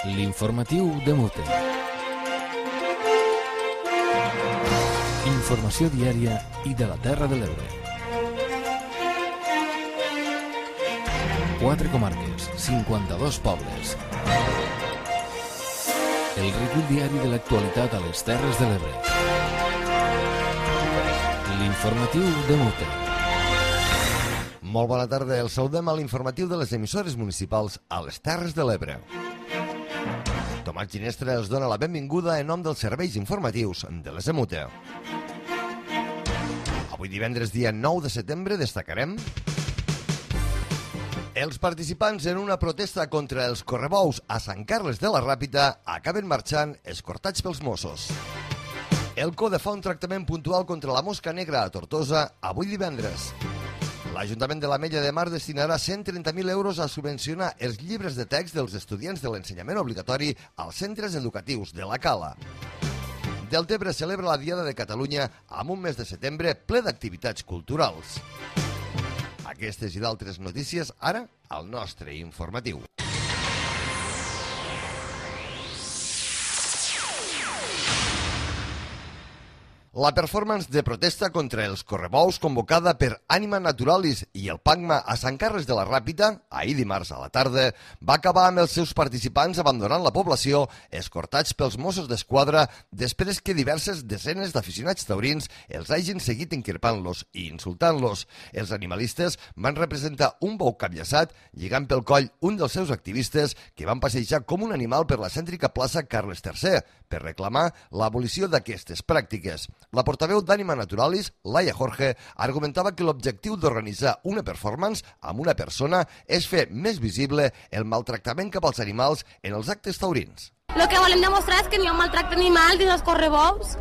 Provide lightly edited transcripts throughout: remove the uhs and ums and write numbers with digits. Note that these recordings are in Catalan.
L'informatiu de Mute. Informació diària i de la Terra de l'Ebre. 4 comarques, 52 pobles. El recull diari de l'actualitat a les Terres de l'Ebre. L'informatiu de Mute. Molt bona tarda, el saludem a l'informatiu de les emissores municipals a les Terres de l'Ebre. Tomàs Ginestra els dona la benvinguda en nom dels serveis informatius de les EMUTE. Avui divendres, dia 9 de setembre, destacarem els participants en una protesta contra els correbous a Sant Carles de la Ràpita acaben marxant escortats pels Mossos. El CODE fa un tractament puntual contra la mosca negra a Tortosa avui divendres. L'Ajuntament de l'Ametlla de Mar destinarà 130.000 euros a subvencionar els llibres de text dels estudiants de l'ensenyament obligatori als centres educatius de la Cala. Deltebre celebra la Diada de Catalunya amb un mes de setembre ple d'activitats culturals. Aquestes i d'altres notícies ara al nostre informatiu. La performance de protesta contra els correbous convocada per Ànima Naturalis i el PACMA a Sant Carles de la Ràpita, ahir dimarts a la tarda, va acabar amb els seus participants abandonant la població, escortats pels Mossos d'Esquadra, després que diverses desenes d'aficionats taurins els hagin seguit enquirpant-los i insultant-los. Els animalistes van representar un bou capllaçat, lligant pel coll un dels seus activistes que van passejar com un animal per la cèntrica plaça Carles III, per reclamar l'abolició d'aquestes pràctiques. La portaveu d'Ànima Naturalis, Laia Jorge, argumentava que l'objectiu d'organitzar una performance amb una persona és fer més visible el maltractament cap als animals en els actes taurins. Lo que volem demostrar és que no hi ha un maltracte animal dins els correbous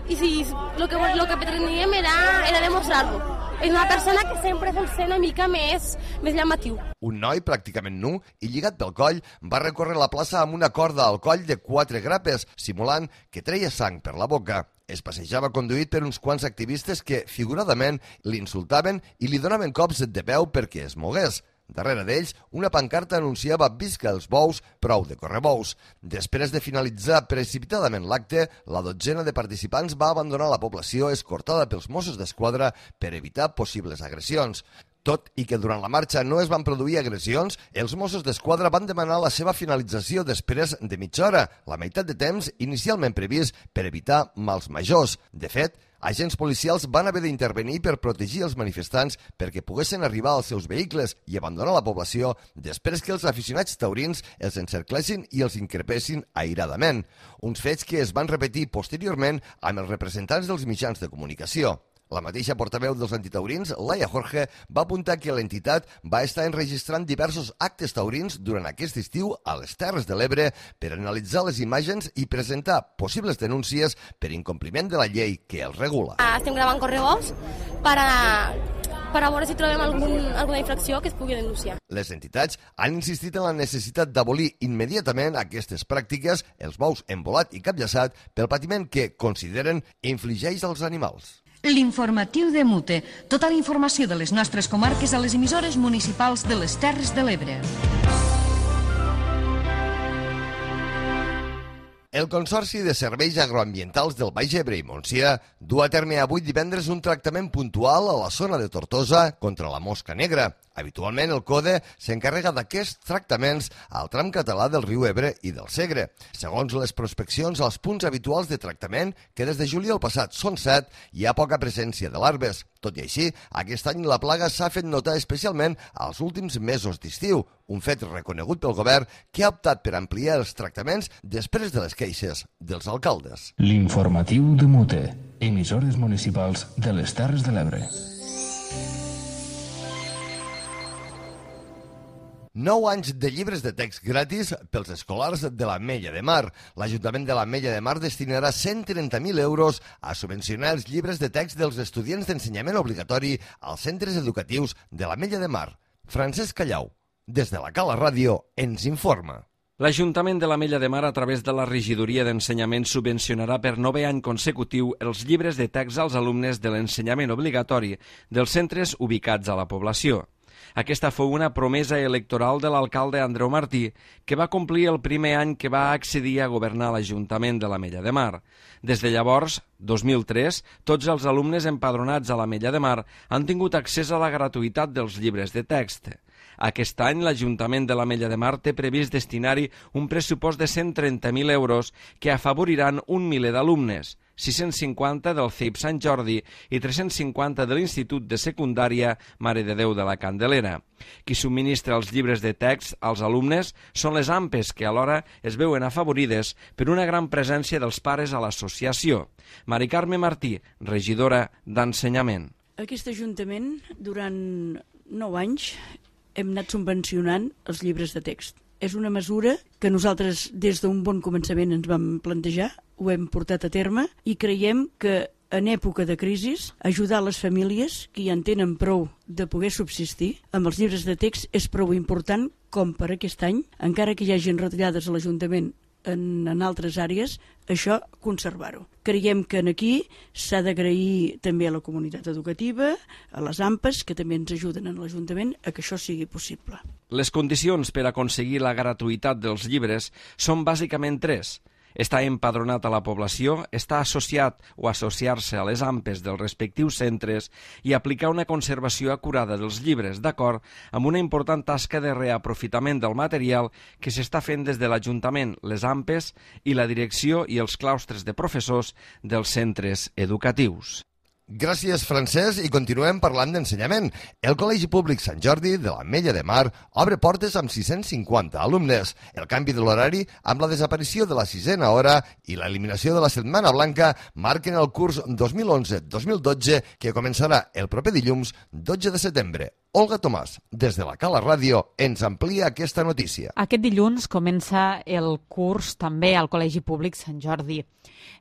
i si lo que pretendíem era demostrar-ho. És una persona que sempre vol ser una mica més llamatiu. Un noi pràcticament nu i lligat pel coll va recórrer la plaça amb una corda al coll de 4 grapes, simulant que treia sang per la boca. Es passejava conduït per uns quants activistes que, figuradament, l'insultaven i li donaven cops de peu perquè es mogués. Darrere d'ells, una pancarta anunciava «Visca els bous, prou de correbous». Després de finalitzar precipitadament l'acte, la dotzena de participants va abandonar la població escortada pels Mossos d'Esquadra per evitar possibles agressions. Tot i que durant la marxa no es van produir agressions, els Mossos d'Esquadra van demanar la seva finalització després de mitja hora, la meitat de temps inicialment previst per evitar mals majors. De fet, agents policials van haver d'intervenir per protegir els manifestants perquè poguessin arribar als seus vehicles i abandonar la població després que els aficionats taurins els encerclessin i els increpessin airadament. Uns fets que es van repetir posteriorment amb els representants dels mitjans de comunicació. La mateixa portaveu dels antitaurins, Laia Jorge, va apuntar que l'entitat va estar enregistrant diversos actes taurins durant aquest estiu a les Terres de l'Ebre per analitzar les imatges i presentar possibles denúncies per incompliment de la llei que els regula. Estem gravant correbous per a veure si trobem alguna infracció que es pugui denunciar. Les entitats han insistit en la necessitat d'abolir immediatament aquestes pràctiques, els bous embolat i capllaçat, pel patiment que consideren infligeix als animals. L'informatiu de Mute. Tota la informació de les nostres comarques a les emissores municipals de les Terres de l'Ebre. El Consorci de Serveis Agroambientals del Baix Ebre i Montsià du a terme avui divendres un tractament puntual a la zona de Tortosa contra la mosca negra. Habitualment el CODE s'encarrega d'aquests tractaments al tram català del riu Ebre i del Segre. Segons les prospeccions als punts habituals de tractament, que des de juliol passat són 7, hi ha poca presència de larves. Tot i així, aquest any la plaga s'ha fet notar especialment als últims mesos d'estiu, un fet reconegut pel govern que ha optat per ampliar els tractaments després de les queixes dels alcaldes. L'informatiu de Mute. Emissores municipals de les Terres de l'Ebre. 9 anys de llibres de text gratis pels escolars de l'Ametlla de Mar. L'Ajuntament de l'Ametlla de Mar destinarà 130.000 euros a subvencionar els llibres de text dels estudiants d'ensenyament obligatori als centres educatius de l'Ametlla de Mar. Francesc Callau, des de la Cala Ràdio, ens informa. L'Ajuntament de l'Ametlla de Mar, a través de la Regidoria d'Ensenyament, subvencionarà per 9è any consecutiu els llibres de text als alumnes de l'ensenyament obligatori dels centres ubicats a la població. Aquesta fou una promesa electoral de l'alcalde Andreu Martí, que va complir el primer any que va accedir a governar l'Ajuntament de l'Ametlla de Mar. Des de llavors, 2003, tots els alumnes empadronats a l'Ametlla de Mar han tingut accés a la gratuïtat dels llibres de text. Aquest any, l'Ajuntament de l'Ametlla de Mar té previst destinar-hi un pressupost de 130.000 euros que afavoriran un miler d'alumnes, 650 del CEIP Sant Jordi i 350 de l'Institut de Secundària Mare de Déu de la Candelera. Qui subministra els llibres de text als alumnes són les AMPEs, que alhora es veuen afavorides per una gran presència dels pares a l'associació. Mari Carme Martí, regidora d'Ensenyament. Aquest Ajuntament, durant 9 anys, hem anat subvencionant els llibres de text. És una mesura que nosaltres des d'un bon començament ens vam plantejar, ho hem portat a terme i creiem que en època de crisi ajudar les famílies que ja en tenen prou de poder subsistir amb els llibres de text és prou important com per aquest any, encara que hi hagin retallades a l'Ajuntament en altres àrees, això conservar-ho. Creiem que aquí s'ha d'agrair també a la comunitat educativa, a les AMPEs, que també ens ajuden en l'Ajuntament a que això sigui possible. Les condicions per aconseguir la gratuïtat dels llibres són bàsicament 3. Estar empadronat a la població, estar associat o associar-se a les AMPEs dels respectius centres i aplicar una conservació acurada dels llibres, d'acord amb una important tasca de reaprofitament del material que s'està fent des de l'Ajuntament, les AMPEs i la direcció i els claustres de professors dels centres educatius. Gràcies, Francesc, i continuem parlant d'ensenyament. El Col·legi Públic Sant Jordi de l'Ametlla de Mar obre portes amb 650 alumnes. El canvi de l'horari amb la desaparició de la 6a hora i l'eliminació de la Setmana Blanca marquen el curs 2011-2012 que començarà el proper dilluns 12 de setembre. Olga Tomàs, des de la Cala Ràdio, ens amplia aquesta notícia. Aquest dilluns comença el curs també al Col·legi Públic Sant Jordi.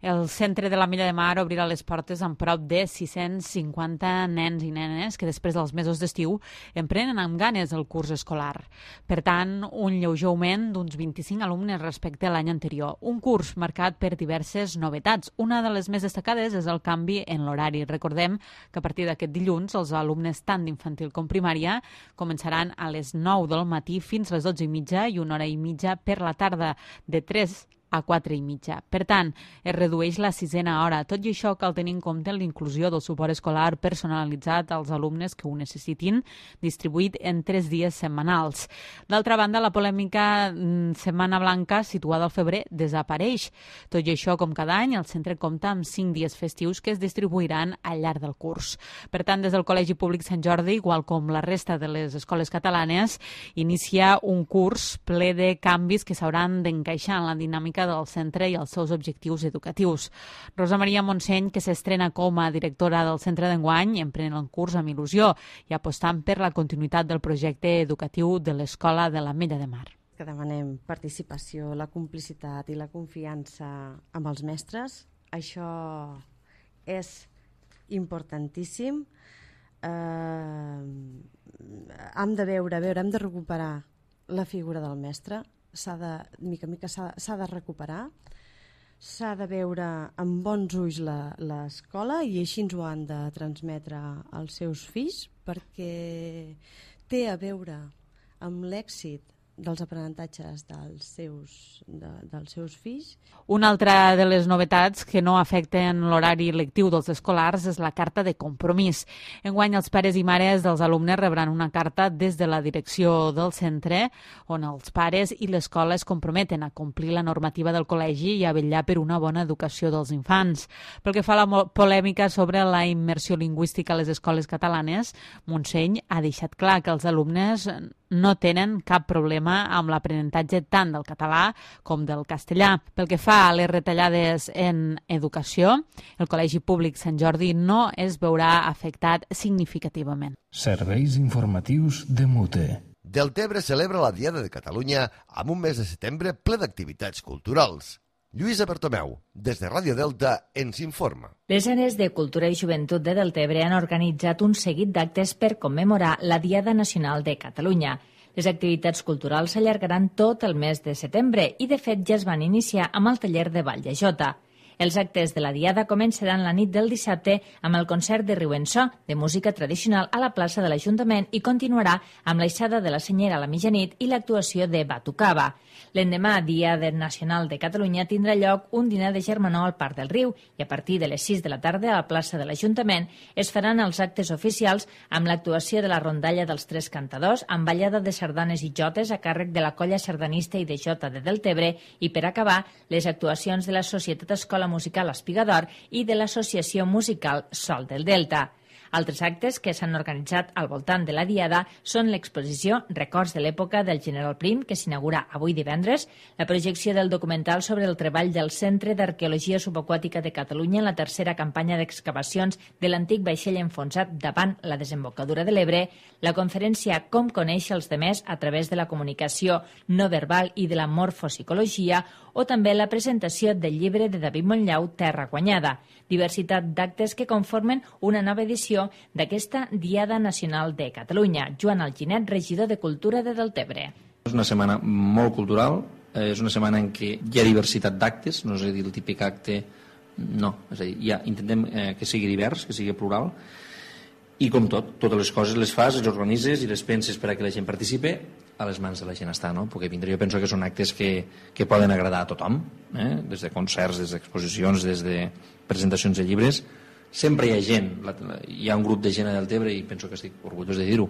El centre de l'Ametlla de Mar obrirà les portes amb prop de 650 nens i nenes que després dels mesos d'estiu emprenen amb ganes el curs escolar. Per tant, un lleuger augment d'uns 25 alumnes respecte a l'any anterior. Un curs marcat per diverses novetats. Una de les més destacades és el canvi en l'horari. Recordem que a partir d'aquest dilluns els alumnes tant d'infantil com primària començaran a les 9 del matí fins a les 12:30 i 1 hora i mitja per la tarda, de 3 a 4:30. Per tant, es redueix la 6a hora. Tot i això, cal tenir en compte l'inclusió del suport escolar personalitzat als alumnes que ho necessitin, distribuït en 3 dies setmanals. D'altra banda, la polèmica Setmana Blanca, situada al febrer, desapareix. Tot i això, com cada any, el centre compta amb 5 dies festius que es distribuiran al llarg del curs. Per tant, des del Col·legi Públic Sant Jordi, igual com la resta de les escoles catalanes, inicia un curs ple de canvis que s'hauran d'encaixar en la dinàmica del centre i els seus objectius educatius. Rosa Maria Montseny, que s'estrena com a directora del centre d'enguany, emprèn el curs amb il·lusió i apostant per la continuïtat del projecte educatiu de l'Escola de l'Ametlla de Mar. Que demanem participació, la complicitat i la confiança amb els mestres. Això és importantíssim. Hem de hem de recuperar la figura del mestre. Mica en mica s'ha de recuperar, s'ha de veure amb bons ulls l'escola i així ens ho han de transmetre als seus fills perquè té a veure amb l'èxit dels aprenentatges dels seus fills. Una altra de les novetats que no afecten l'horari lectiu dels escolars és la carta de compromís. Enguany, els pares i mares dels alumnes rebran una carta des de la direcció del centre on els pares i l'escola es comprometen a complir la normativa del col·legi i a vetllar per una bona educació dels infants. Pel que fa a la polèmica sobre la immersió lingüística a les escoles catalanes, Montseny ha deixat clar que els alumnes no tenen cap problema amb l'aprenentatge tant del català com del castellà. Pel que fa a les retallades en educació, el Col·legi Públic Sant Jordi no es veurà afectat significativament. Serveis informatius de Mute. Deltebre celebra la Diada de Catalunya amb un mes de setembre ple d'activitats culturals. Lluïsa Bertomeu, des de Ràdio Delta, ens informa. Les àrees de Cultura i Joventut de Deltebre han organitzat un seguit d'actes per commemorar la Diada Nacional de Catalunya. Les activitats culturals s'allargaran tot el mes de setembre i, de fet, ja es van iniciar amb el taller de Ball de Jota. Els actes de la Diada començaran la nit del dissabte amb el concert de Riuensó, de música tradicional a la plaça de l'Ajuntament i continuarà amb l'aixada de la Senyera a la mitjanit i l'actuació de Batucava. L'endemà, Diada Nacional de Catalunya, tindrà lloc un dinar de germanor al Parc del Riu i a partir de les 6 de la tarda a la plaça de l'Ajuntament es faran els actes oficials amb l'actuació de la rondalla dels Tres Cantadors amb ballada de sardanes i jotes a càrrec de la colla sardanista i de jota de Deltebre i, per acabar, les actuacions de la Societat Escola Musical Espigador i de l'Associació Musical Sol del Delta. Altres actes que s'han organitzat al voltant de la Diada són l'exposició Records de l'època del General Prim, que s'inaugura avui divendres, la projecció del documental sobre el treball del Centre d'Arqueologia Subaquàtica de Catalunya en la tercera campanya d'excavacions de l'antic vaixell enfonsat davant la desembocadura de l'Ebre, la conferència Com conèixer els demés a través de la comunicació no verbal i de la morfopsicologia, o també la presentació del llibre de David Montllau, Terra guanyada, diversitat d'actes que conformen una nova edició d'aquesta Diada Nacional de Catalunya. Joan Alginet, regidor de Cultura de Deltebre. És una setmana molt cultural, és una setmana en què hi ha diversitat d'actes, no és a dir, el típic acte, no, és a dir, intentem que sigui divers, que sigui plural, i com tot, totes les coses les fas, les organitzes i les penses per a que la gent participe, a les mans de la gent està, no? Perquè vindre, jo penso que són actes que poden agradar a tothom, des de concerts, des d'exposicions, des de presentacions de llibres. Sempre hi ha gent, hi ha un grup de gent a Deltebre, i penso que estic orgullós de dir-ho,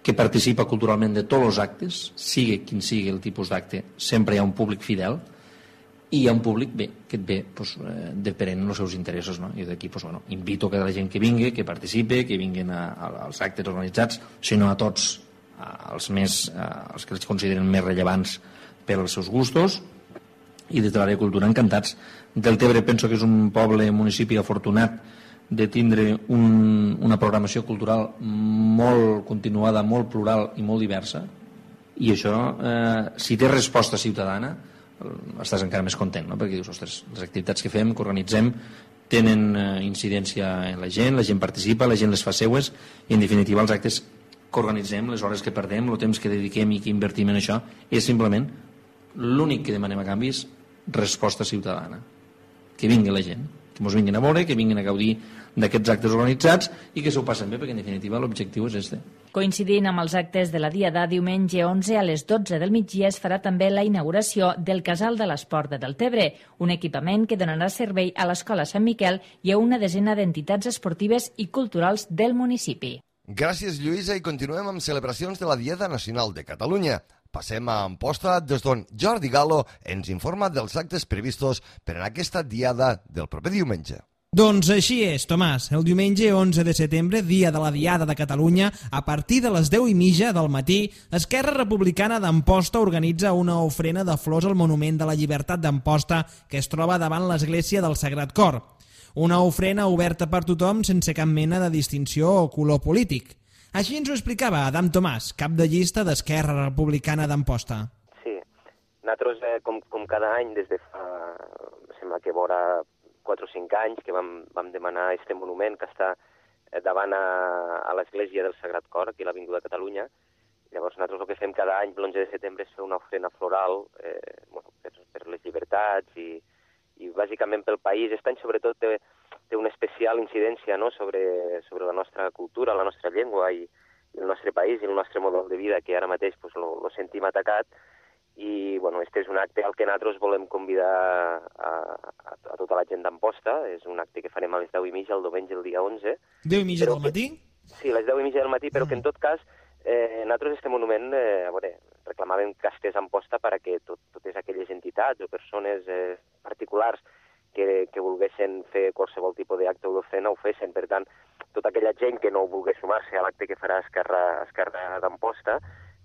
que participa culturalment de tots els actes, sigui quin sigui el tipus d'acte, sempre hi ha un públic fidel, i hi ha un públic que et ve depenent els seus interessos, no? I d'aquí invito a la gent que vingui, que participi, que vinguin als actes organitzats, sinó a tots, els que els consideren més rellevants pels seus gustos, i des de l'àrea de cultura encantats. Deltebre penso que és un poble, un municipi afortunat de tindre una programació cultural molt continuada, molt plural i molt diversa, i això, si té resposta ciutadana, estàs encara més content, no? Perquè dius, ostres, les activitats que fem, que organitzem, tenen incidència en la gent participa, la gent les fa seues, i en definitiva els actes que organitzem, les hores que perdem, el temps que dediquem i que invertim en això, és simplement l'únic que demanem a canvi és resposta ciutadana, que vingui la gent, que ens vinguin a veure, que vinguin a gaudir d'aquests actes organitzats i que s'ho passen bé, perquè en definitiva l'objectiu és este. Coincidint amb els actes de la Diada, diumenge 11 a les 12 del migdia es farà també la inauguració del Casal de l'Esport de Deltebre, un equipament que donarà servei a l'Escola Sant Miquel i a una desena d'entitats esportives i culturals del municipi. Gràcies, Lluïsa, i continuem amb celebracions de la Diada Nacional de Catalunya. Passem a Amposta, des d'on Jordi Galo ens informa dels actes previstos per a aquesta Diada del proper diumenge. Doncs així és, Tomàs. El diumenge 11 de setembre, dia de la Diada de Catalunya, a partir de les 10:30 del matí, Esquerra Republicana d'Amposta organitza una ofrena de flors al Monument de la Llibertat d'Amposta, que es troba davant l'església del Sagrat Cor. Una ofrena oberta per tothom sense cap mena de distinció o color polític. Així ens ho explicava Adam Tomàs, cap de llista d'Esquerra Republicana d'Amposta. Sí, nosaltres, com cada any, des de fa, sembla que vora 4 o 5 anys, que vam demanar aquest monument que està davant a l'església del Sagrat Cor, aquí a l'Avinguda Catalunya. Llavors, nosaltres el que fem cada any, l'11 de setembre, és fer una ofrena floral per les llibertats i bàsicament pel país. Aquest any, sobretot, té una especial incidència, no?, sobre la nostra cultura, la nostra llengua i el nostre país i el nostre model de vida, que ara mateix lo sentim atacat. I, este és un acte al que nosaltres volem convidar a tota la gent d'Amposta. És un acte que farem a les 10:30 el diumenge, el dia 11. 10:30 del matí? Sí, a les 10:30 del matí, però que en tot cas nosaltres este monument reclamàvem que estés a Amposta perquè totes aquelles entitats o persones particulars que volguessin fer qualsevol tipus d'acte o d'ofrena ho fessin. Per tant, tota aquella gent que no volgués sumar-se a l'acte que farà Esquerra d'Amposta,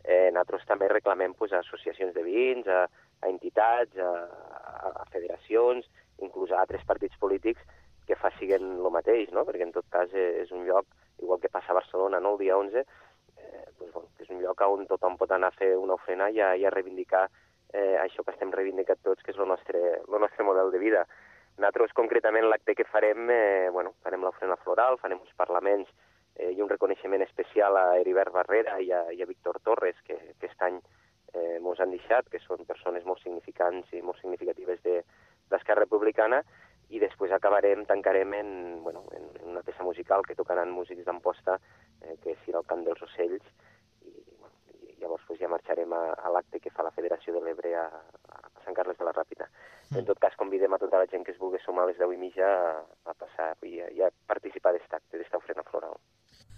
nosaltres també reclamem a associacions de veïns, a entitats, a federacions, inclús a altres partits polítics que facin el mateix, no? Perquè en tot cas és un lloc, igual que passa a Barcelona, no?, el dia 11, és un lloc on tothom pot anar a fer una ofrena i a reivindicar això que estem reivindicant tots, que és el nostre model de vida. Nosaltres, concretament, l'acte que farem, farem l'ofrena floral, farem uns parlaments i un reconeixement especial a Heribert Barrera i a Víctor Torres, que aquest any ens han deixat, que són persones molt significants i molt significatives d'Esquerra Republicana, i després tancarem en una peça musical que tocaran músics d'Amposta, que serà el Cant dels Ocells, i llavors ja marxarem a l'acte que fa la Federació de l'Ebre a Sant Carles de la Ràpita. En tot cas, convidem a tota la gent que es vulgui sumar a les 10:30 a passar i a participar d'esta ofrena floral.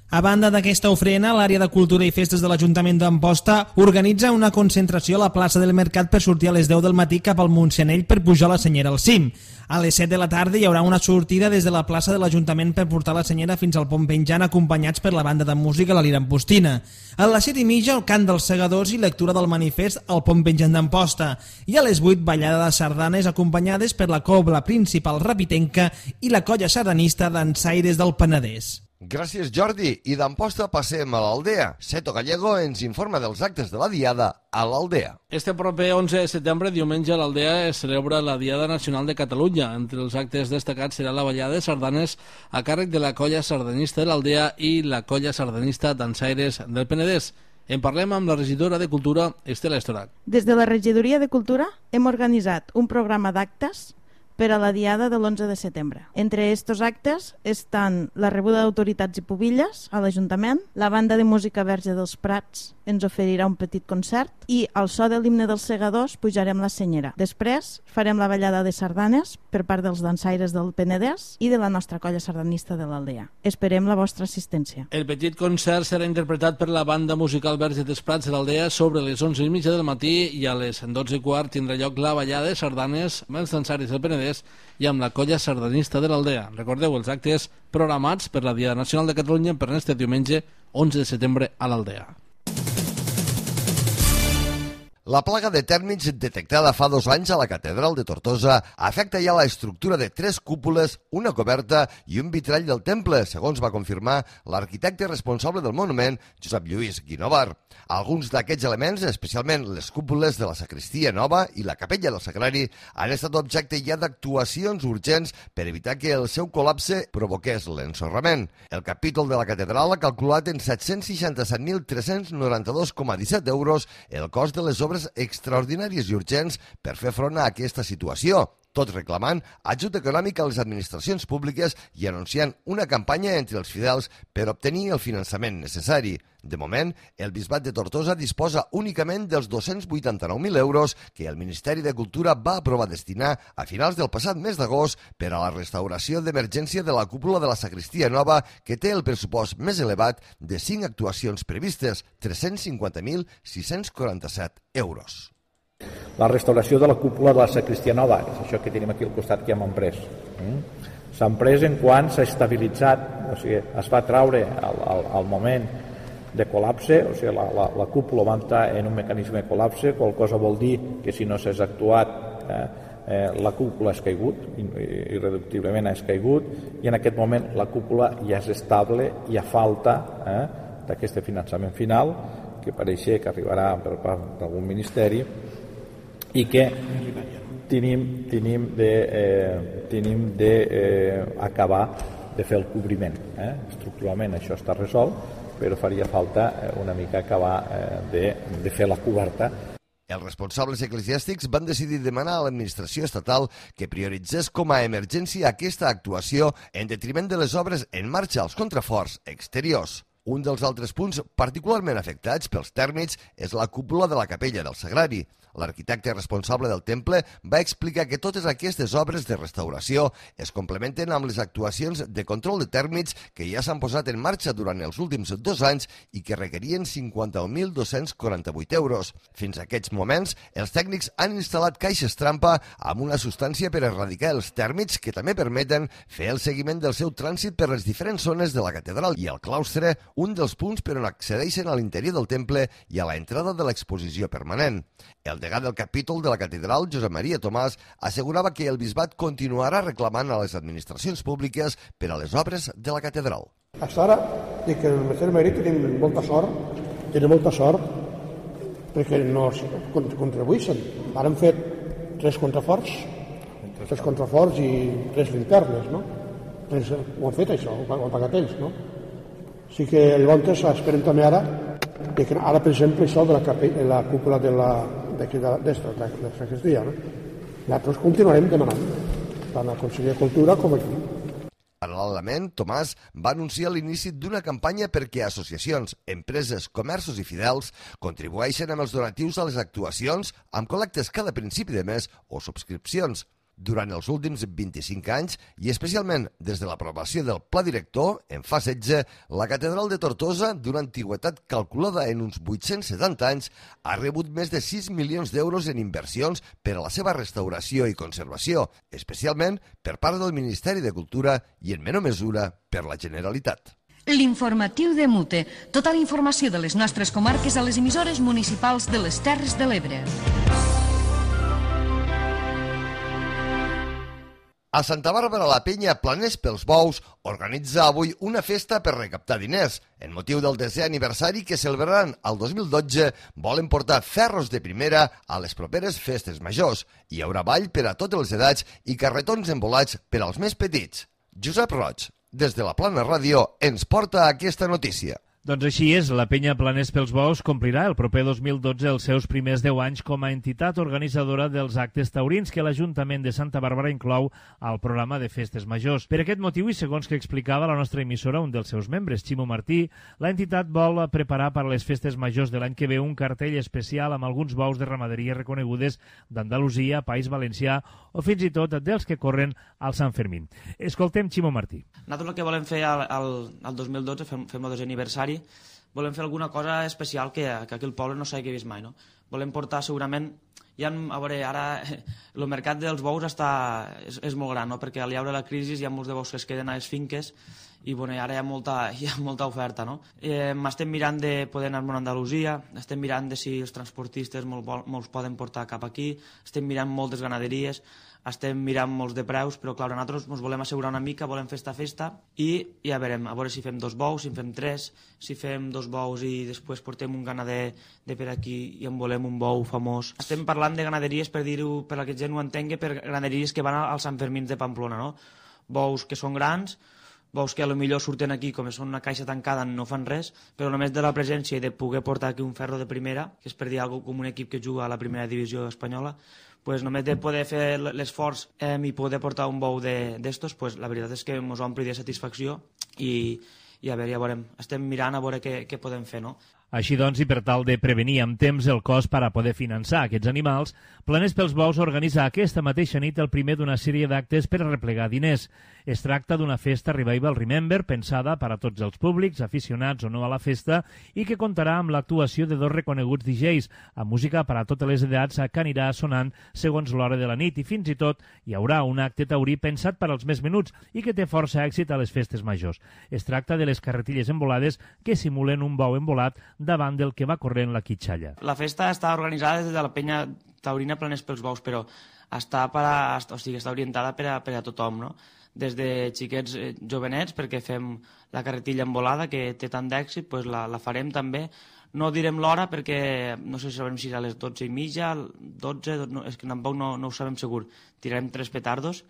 A banda d'aquesta ofrena, l'àrea de Cultura i Festes de l'Ajuntament d'Amposta organitza una concentració a la plaça del Mercat per sortir a les 10 del matí cap al Montseny per pujar la Senyera al cim. A les 7 de la tarda hi haurà una sortida des de la plaça de l'Ajuntament per portar la Senyera fins al Pont Penjant, acompanyats per la banda de música La Lira Ampostina. A les 7:30 el cant dels segadors i lectura del manifest al Pont Penjant d'Amposta. I a les 8 ballada de sardanes acompanyades per la cobla principal rapitenca i la colla sardanista dansaires del Penedès. Gràcies, Jordi. I d'Amposta passem a l'Aldea. Seto Gallego ens informa dels actes de la Diada a l'Aldea. Este proper 11 de setembre, diumenge, a l'Aldea es celebra la Diada Nacional de Catalunya. Entre els actes destacats serà la ballada de sardanes a càrrec de la colla sardanista de l'Aldea i la colla sardanista dansaires del Penedès. En parlem amb la regidora de Cultura, Estela Estorac. Des de la regidoria de Cultura hem organitzat un programa d'actes per a la Diada de l'11 de setembre. Entre estos actes estan la rebuda d'autoritats i pubilles a l'Ajuntament, la banda de música Verge dels Prats ens oferirà un petit concert i al so de l'himne dels segadors pujarem la Senyera. Després farem la ballada de sardanes per part dels dansaires del Penedès i de la nostra colla sardanista de l'Aldea. Esperem la vostra assistència. El petit concert serà interpretat per la banda musical Verge dels Prats de l'Aldea sobre les 11:30 del matí i a les 12:15 tindrà lloc la ballada de sardanes amb els dansaires del Penedès i amb la colla sardanista de l'Aldea. Recordeu els actes programats per la Diada Nacional de Catalunya per este diumenge 11 de setembre a l'Aldea. La plaga de tèrmits detectada fa 2 anys a la Catedral de Tortosa afecta ja la estructura de 3 cúpules, una coberta i un vitrall del temple, segons va confirmar l'arquitecte responsable del monument, Josep Lluís Guinovar. Alguns d'aquests elements, especialment les cúpules de la sacristia nova i la capella del Sagrari, han estat objecte ja d'actuacions urgents per evitar que el seu col·lapse provoqués l'ensorrament. El capítol de la catedral ha calculat en 767.392,17 euros el cost de les obres extraordinàries i urgents per fer front a aquesta situació, tot reclamant ajut econòmic a les administracions públiques i anunciant una campanya entre els fidels per obtenir el finançament necessari. De moment, el Bisbat de Tortosa disposa únicament dels 289.000 euros que el Ministeri de Cultura va aprovar destinar a finals del passat mes d'agost per a la restauració d'emergència de la cúpula de la sacristia nova, que té el pressupost més elevat de 5 actuacions previstes, 350.647 euros. La restauració de la cúpula de la sacristia nova, és això que tenim aquí al costat que hem emprès. S'ha emprès en quan s'ha estabilitzat, o sigui, es va traure al moment de col·lapse, o sigui, la cúpula va entrar en un mecanisme de col·lapse, qual cosa vol dir que si no s'ha actuat la cúpula ha caigut, irreductiblement ha caigut, i en aquest moment la cúpula ja és estable i a falta d'aquest finançament final, que pareixer que arribarà per part d'algun ministeri, i que tenim d'acabar de fer el cobriment. Estructuralment això està resolt, però faria falta una mica acabar de fer la coberta. Els responsables eclesiàstics van decidir demanar a l'administració estatal que prioritzés com a emergència aquesta actuació en detriment de les obres en marxa als contraforts exteriors. Un dels altres punts particularment afectats pels tèrmits és la cúpula de la capella del Sagrari. L'arquitecte responsable del temple va explicar que totes aquestes obres de restauració es complementen amb les actuacions de control de tèrmits que ja s'han posat en marxa durant els últims 2 anys i que requerien 51.248 euros. Fins a aquests moments, els tècnics han instal·lat caixes trampa amb una substància per erradicar els tèrmits que també permeten fer el seguiment del seu trànsit per les diferents zones de la catedral i el claustre, un dels punts per on accedeixen a l'interior del temple i a la entrada de l'exposició permanent. El degà del capítol de la catedral, Josep Maria Tomàs, assegurava que el bisbat continuarà reclamant a les administracions públiques per a les obres de la catedral. Fins ara, dic que el Mercè de Madrid tenim molta sort, perquè no contribueixen. Ara han fet 3 contraforts i 3 linternes, no? Ho han fet això, ho han pagat ells, no? Sí que llavors esperem també ara, per exemple, això de la cúpula de la sacristia, no? Nosaltres continuarem demanant, tant a Conseller de Cultura com aquí. Paral·lelament, Tomàs va anunciar l'inici d'una campanya perquè associacions, empreses, comerços i fidels contribueixen amb els donatius a les actuacions amb col·lectes cada principi de mes o subscripcions. Durant els últims 25 anys, i especialment des de l'aprovació del Pla Director, en fa 16, la Catedral de Tortosa, d'una antiguitat calculada en uns 870 anys, ha rebut més de 6 milions d'euros en inversions per a la seva restauració i conservació, especialment per part del Ministeri de Cultura i, en menor mesura, per la Generalitat. L'informatiu de Mute. Tota la informació de les nostres comarques a les emissores municipals de les Terres de l'Ebre. A Santa Bàrbara la penya Planers pels Bous organitza avui una festa per recaptar diners. En motiu del 10è aniversari que celebraran el 2012, volen portar ferros de primera a les properes festes majors. Hi haurà ball per a totes les edats i carretons embolats per als més petits. Josep Roig, des de la Plana Ràdio, ens porta aquesta notícia. Doncs així és, la penya Planers pels Bous complirà el proper 2012 els seus primers 10 anys com a entitat organitzadora dels actes taurins que l'Ajuntament de Santa Bàrbara inclou al programa de festes majors. Per aquest motiu, i segons que explicava la nostra emissora un dels seus membres, Ximo Martí, la entitat vol preparar per a les festes majors de l'any que ve un cartell especial amb alguns bous de ramaderia reconegudes d'Andalusia, País Valencià o fins i tot dels que corren al Sant Fermín. Escoltem Ximo Martí. Nosaltres el que volem fer al 2012, fem el 10è aniversari, volem fer alguna cosa especial que aquí al poble no s'hagi vist mai, no? Volem portar segurament, a veure, ara el mercat dels bous és molt gran, no? Perquè al llaure la crisi hi ha molts de bous que es queden a les finques i bueno, ara hi ha molta oferta, no? Estem mirant de poder anar-me'n a Andalusia, estem mirant de si els transportistes molts poden portar cap aquí, estem mirant moltes ganaderies, estem mirant molts de preus, però clar, nosaltres ens volem assegurar una mica, volem fer esta festa i ja veurem, a veure si fem 2 bous, si en fem 3, si fem 2 bous i després portem un ganader de per aquí i en volem un bou famós. Estem parlant de ganaderies, per dir-ho, per a que gent ho entengui, per ganaderies que van als Sant Fermins de Pamplona, no? Bous que són grans, bous que potser surten aquí, com són una caixa tancada, no fan res, però només de la presència i de poder portar aquí un ferro de primera, que és per dir alguna cosa com un equip que juga a la primera divisió espanyola, pues només de poder fer l'esforç i poder portar un bou d'estos, pues la veritat és que ens ompli de satisfacció i a veure, ja veurem. Estem mirant a veure què podem fer, no? Així doncs, i per tal de prevenir amb temps el cost per a poder finançar aquests animals, Planers pels Bous organitza aquesta mateixa nit el primer d'una sèrie d'actes per a replegar diners. Es tracta d'una festa Revival Remember pensada per a tots els públics, aficionats o no a la festa, i que comptarà amb l'actuació de 2 reconeguts DJs, amb música per a totes les edats que anirà sonant segons l'hora de la nit, i fins i tot hi haurà un acte taurí pensat per als més menuts i que té força èxit a les festes majors. Es tracta de les carretilles embolades que simulen un bou embolat davant del que va corrent la quitxalla. La festa està organitzada des de la penya taurina Planers pels Bous, però està orientada per a tothom, no? Des de xiquets jovenets, perquè fem la carretilla embolada, que té tant d'èxit, doncs la farem també. No direm l'hora perquè no sé si sabem si és a les 12:30, 12, és que tampoc no ho sabem segur. Tirarem 3 petardos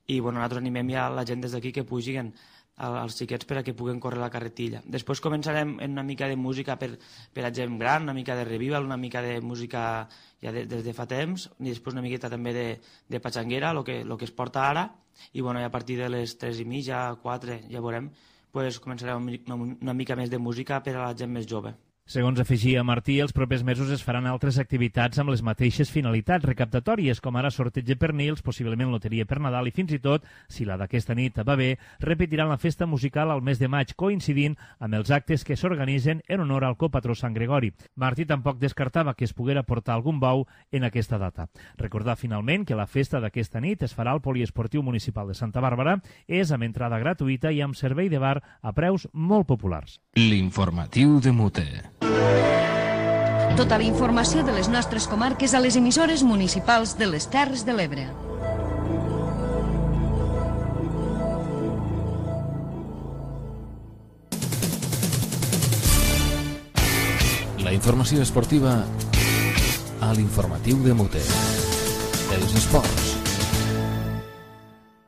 i nosaltres animem ja la gent des d'aquí que pugin als xiquets per a que puguen córrer la carretilla. Després començarem en una mica de música per a gent gran, una mica de revival, una mica de música ja des de fa temps, i després una miqueta també de patxanguera, el que es porta ara, i a partir de les 3:30, 4, ja veurem, començarem una mica més de música per a la gent més jove. Segons afegia Martí, els propers mesos es faran altres activitats amb les mateixes finalitats recaptatòries, com ara sorteig de pernils, possiblement loteria per Nadal i fins i tot, si la d'aquesta nit va bé, repetiran la festa musical al mes de maig, coincidint amb els actes que s'organitzen en honor al copatró Sant Gregori. Martí tampoc descartava que es poguera portar algun bou en aquesta data. Recordar finalment que la festa d'aquesta nit es farà al Poliesportiu Municipal de Santa Bàrbara, és amb entrada gratuïta i amb servei de bar a preus molt populars. L'informatiu de Mute. Tota la informació de les nostres comarques a les emissores municipals de les Terres de l'Ebre. La informació esportiva a l'informatiu de Mute. Els esports.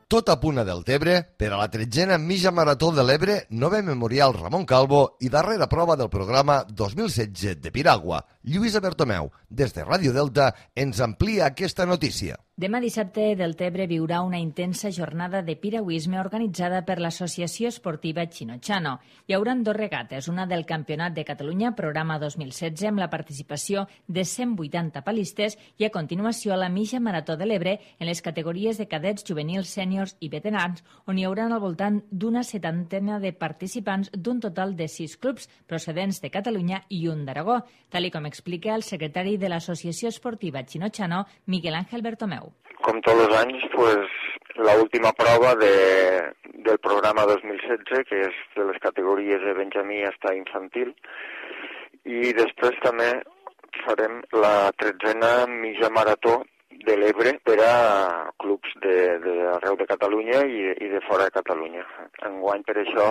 Tot a Puna del Tebre per a la 13a mitja marató de l'Ebre, 9è memorial Ramon Calvo i darrera prova del programa 2016 de Piragua. Lluïsa Bertomeu, des de Ràdio Delta, ens amplia aquesta notícia. Demà dissabte, Deltebre viurà una intensa jornada de piragüisme organitzada per l'Associació Esportiva Chinochano. Hi haurà 2 regates, una del Campionat de Catalunya, programa 2016, amb la participació de 180 palistes, i a continuació la mitja Marató de l'Ebre en les categories de cadets, juvenils, sèniors i veterans, on hi haurà al voltant d'una 70 de participants d'un total de 6 clubs procedents de Catalunya i un d'Aragó, tal com explica el secretari de l'Associació Esportiva Chinochano, Miguel Ángel Bertomeu. Como todos los años, pues la última prueba del programa 2016, que es de las categories de Benjamí hasta infantil, i després també farem la 13a mitja marató de l'Ebre per a clubs d'arreu de Catalunya i de fora de Catalunya. Enguany, per això,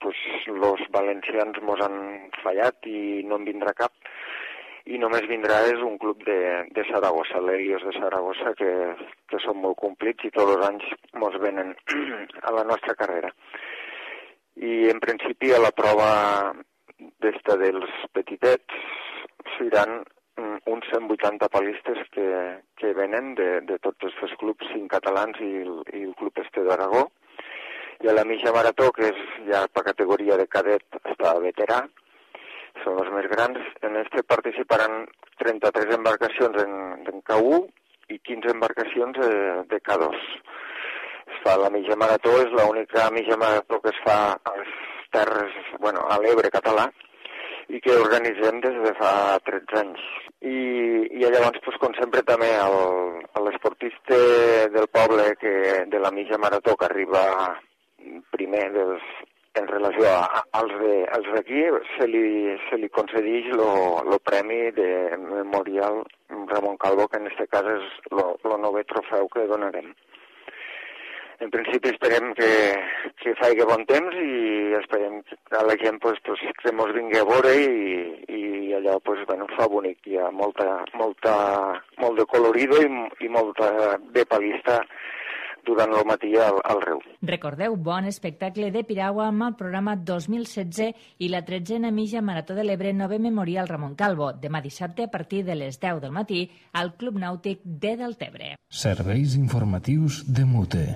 pues, los valencians mos han fallat i no en vindrà cap, i només vindrà és un club de Saragossa, l'Helios de Saragossa, que són molt complits i tots els anys mos venen a la nostra carrera. I en principi a la prova d'esta dels petitets seran uns 180 palistes que venen de tots els clubs, 5 catalans i el club este d'Aragó. I a la mitja marató, que és ja per categoria de cadet fins veterà, són els més grans. En este participaran 33 embarcacions en K1 i 15 embarcacions de K2. Es fa la mitja marató, és l'única mitja marató que es fa a les terres, a l'Ebre català, i que organitzem des de fa 13 anys. I llavors, com sempre, també l'esportista del poble de la mitja marató que arriba primer en relació als d'aquí, se li concedeix el premi de Memorial Ramon Calvo, que en aquest cas és el 9è trofeu que donarem. En principi esperem que faci bon temps i esperem que a la gent que ens vingui a veure i allò fa bonic. Hi ha molt de colorido i molta de palista durant el matí al riu. Recordeu, bon espectacle de piragua amb el programa 2016 i la 13a mitja Marató de l'Ebre 9è Memorial Ramon Calvo, demà dissabte a partir de les 10 del matí al Club Nàutic de Deltebre. Serveis informatius de Mute.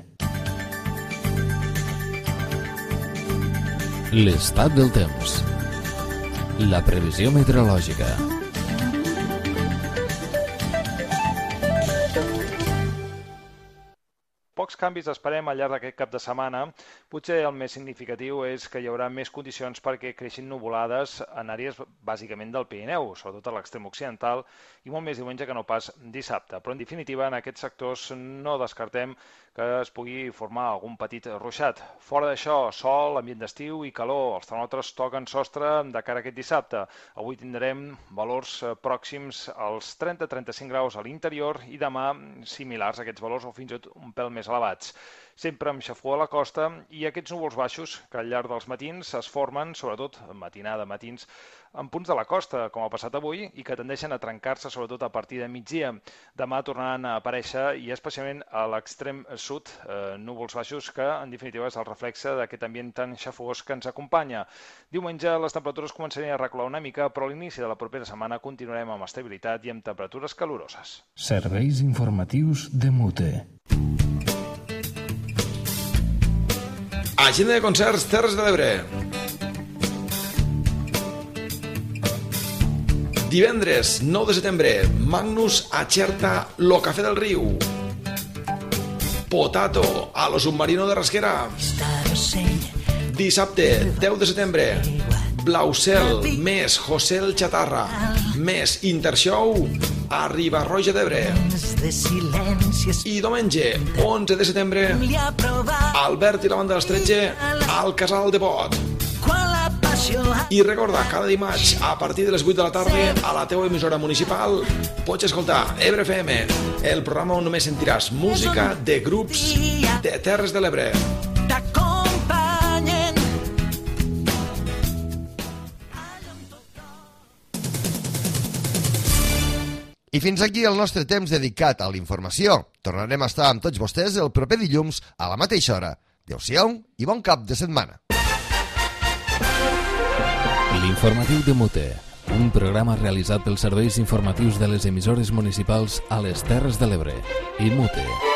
L'estat del temps. La previsió meteorològica. Pocs canvis esperem al llarg d'aquest cap de setmana. Potser el més significatiu és que hi haurà més condicions perquè creixin nuvolades en àrees bàsicament del Pirineu, sobretot a l'extrem occidental, i molt més diumenge que no pas dissabte. Però en definitiva, en aquests sectors no descartem que es pugui formar algun petit ruixat. Fora d'això, sol, ambient d'estiu i calor. Els termòmetres toquen sostre de cara a aquest dissabte. Avui tindrem valors pròxims als 30-35 graus a l'interior i demà similars a aquests valors o fins i tot un pèl més elevats. Sempre amb xafogor a la costa i aquests núvols baixos que al llarg dels matins es formen, sobretot matinada, matins, en punts de la costa, com ha passat avui, i que tendeixen a trencar-se sobretot a partir de migdia. Demà tornaran a aparèixer, i especialment a l'extrem sud, núvols baixos que, en definitiva, és el reflexe d'aquest ambient tan xafogós que ens acompanya. Diumenge les temperatures començarien a recular una mica, però a l'inici de la propera setmana continuarem amb estabilitat i amb temperatures caloroses. Serveis informatius de Mute. Agenda de concerts Terres de l'Ebre. Divendres 9 de setembre, Magnus a Xerta, lo Cafè del Riu. Potato a lo Submarino de Rasquera. Dissabte 10 de setembre, Blausel més José el Chatarra més Intershow a Riba-roja d'Ebre. I diumenge 11 de setembre, Albert i la banda dels 13 al Casal de Bot. I recorda, cada dimarts a partir de les 8 de la tarda a la teua emissora municipal pots escoltar Ebre FM, el programa on només sentiràs música de grups de Terres de l'Ebre. I fins aquí el nostre temps dedicat a la informació. Tornarem a estar amb tots vostès el proper dilluns a la mateixa hora. Adéu-siau i bon cap de setmana. L'informatiu de Mute, un programa realitzat pels serveis informatius de les emissores municipals a les Terres de l'Ebre. IMUTE.